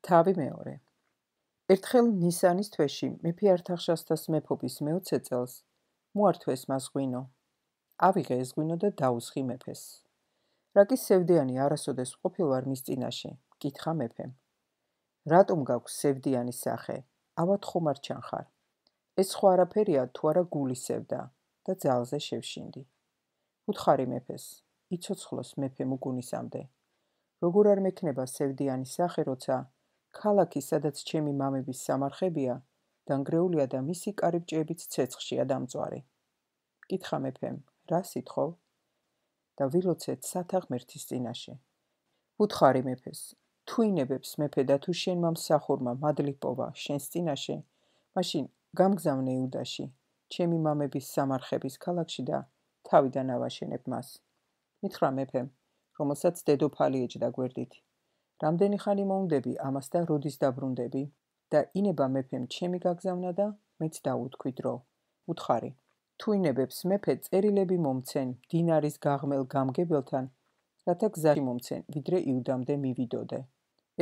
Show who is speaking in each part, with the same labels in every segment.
Speaker 1: თავი მეორე. ერთხელ ნისანის თვეში მეფე ართახშასთას მეფობის მე-20 წელს მოართვეს მას ღვინო. ავიღე ეს ღვინო და დაუსხი მეფეს. რა კი სევდიანი არასოდეს ყოფილვარ მის წინაშე, კითხა მეფემ. რატომ გაქვს სევდიანი სახე? ავად ხომ არ ჩანხარ? ეს სხვა არაფერია თუ არა გულის სევდა და ძალზე შევშინდი. უთხარი მეფეს, იცოცხლოს მეფემ უგუნისამდე. როგორ არ მექნება სევდიანი სახე, როცა ქალაქი, სადაც ჩემი მამების სამარხებია, დანგრეულია და მისი კარიბჭეებიც ცეცხლშია დამწვარი. კითხა მეფემ, რა სიტყვა? და ვილოცეთ სათა ღმერთის წინაშე. უთხარი მეფეს, თუ ინებებს მეფე და თუ შენმა მსახურმა მადლი პოვა შენს წინაშე, მაშინ გამგზავნე იუდაში, ჩემი მამების სამარხების ქალაქში და თავიდან ავაშენებ მას. მითხრა მეფემ, რომელსაც დედოფალი ეჯდა გვერდით. რამდენი ხანი მოუნდები ამას და როდის დაბრუნდები? და ინება მეფემ ჩემი გაგზავნა და მეც დავუთქვი დრო. უთხარი, თუ ინებებს მეფე წერილები მომცენ დინარის გაღმელ გამგებელთან, რათა გზაში მომცენ, ვიდრე იუდამდე მივიდოდე.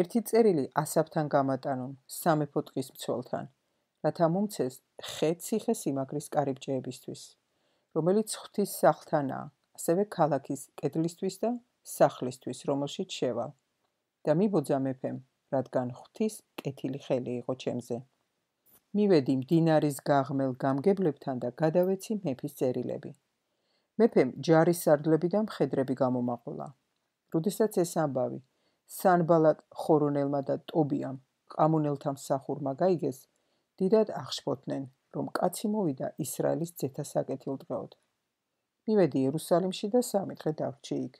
Speaker 1: ერთი წერილი ასაფთან გამატანონ სამეფო ტყის მცველთან, რათა მომცეს ხე ციხე-სიმაგრის კარიბჭეებისთვის, რომელიც ღვთის სახლთანაა, ასევე ქალაქის კედლისთვის და სახლისთვის, რომელშიც შევალ. და მიბოძა მეფემ, რადგან ღვთის კეთილი ხელი იყო ჩემზე. მივედი მდინარის გაღმელ გამგებლებთან და გადავეცი მეფის წერილები. მეფემ ჯარის სარდლები და მხედრები გამომაყოლა. როდესაც ეს ამბავი სანბალატ ხორონელმა და ტობიამ ყამონელთა მსახურმა გაიგეს, დიდად აღშფოთდნენ, რომ კაცი მოვიდა ისრაელის ძეთა საკეთილდღეოდ. მივედი იერუსალიმში და 3 დღე დავრჩი იქ.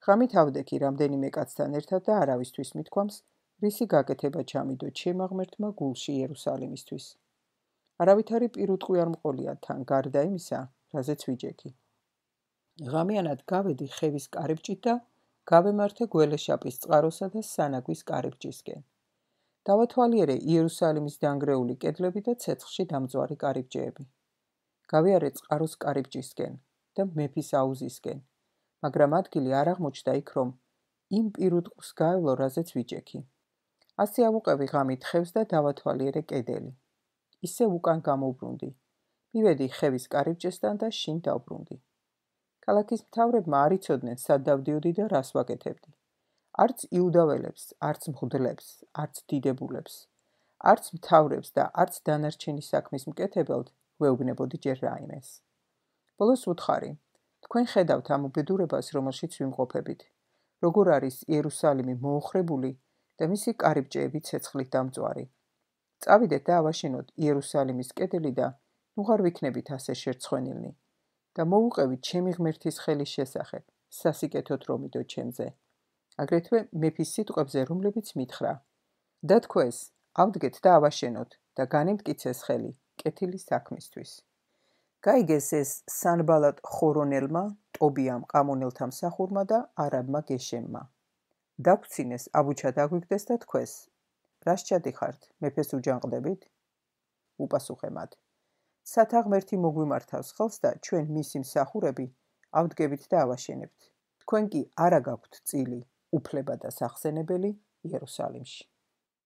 Speaker 1: ღამით ავდექი რამდენიმე კაცთან ერთად და არავისთვის მithქვამს, რისი გაკეთება ჩამიდო ჩემმა ღმერთმა გულში იერუსალიმისთვის. არავითარი პირუტყვი არ მყოლია თან გარდა იმისა, რაზეც ვიჯექი. ღამიანად გავედი ხევის კარიბჭით და გავემართე გველეშაპის წყაროსა და სანაგვის კარიბჭისკენ. დავათვალიერე იერუსალიმის დანგრეული კედლები და ცეცხლში დამწვარი კარიბჭეები. გავიარე წყაროს კარიბჭისკენ და მეფის აუზისკენ, მაგრამ ადგილი არ აღმოჩნდა იქ, რომ იმ პირუტყვს გაევლო, რაზეც ვიჯექი. ასე ავუყევი ღამით ხევს და დავათვალიერე კედელი. ისე უკან გამოვბრუნდი. მივედი ხევის კარიბჭესთან და შინ დავბრუნდი. ქალაქის მთავრებმა არ იცოდნენ, სად დავდიოდი და რას ვაკეთებდი. არც იუდაველებს, არც მღვდლებს, არც დიდებულებს, არც მთავრებს და არც დანარჩენი საქმის მკეთებელთ ვეუბნებოდი ჯერ რაიმეს. ბოლოს უთხარი, თქვენ ხედავთ ამ უბედურებას, რომელშიც ვიმყოფებით, როგორ არის იერუსალიმი მოოხრებული და მისი კარიბჭეები ცეცხლით დამწვარი. წავიდეთ და ავაშენოთ იერუსალიმის კედელი და ნუღარ ვიქნებით ასე შერცხვენილნი და მოვუყევით ჩემი ღმერთის ხელის შესახებ, სასიკეთოდ რომიდო ჩემზე. აგრეთვე მეფის სიტყვებზე, რომლებიც მითხრა. დათქვეს, ავდგეთ და ავაშენოთ და განემტკიცეს ხელი კეთილი საქმისთვის. გაიგეს ეს სანბალატ ხორონელმა, ტობიამ ყამონელთა მსახურმა და არაბმა გეშემმა. დაგვცინეს აბუჩა დაგვიგდეს და თქვეს, რას ჩადიხართ, მეფეს უჯანყდებით? უპასუხე მათ, სათა ღმერთი მოგვიმართავს ხელს და ჩვენ მისი მსახურები ავდგებით და ავაშენებთ. თქვენ კი არა გაქვთ წილი, უფლება და სახსენებელი იერუსალიმში.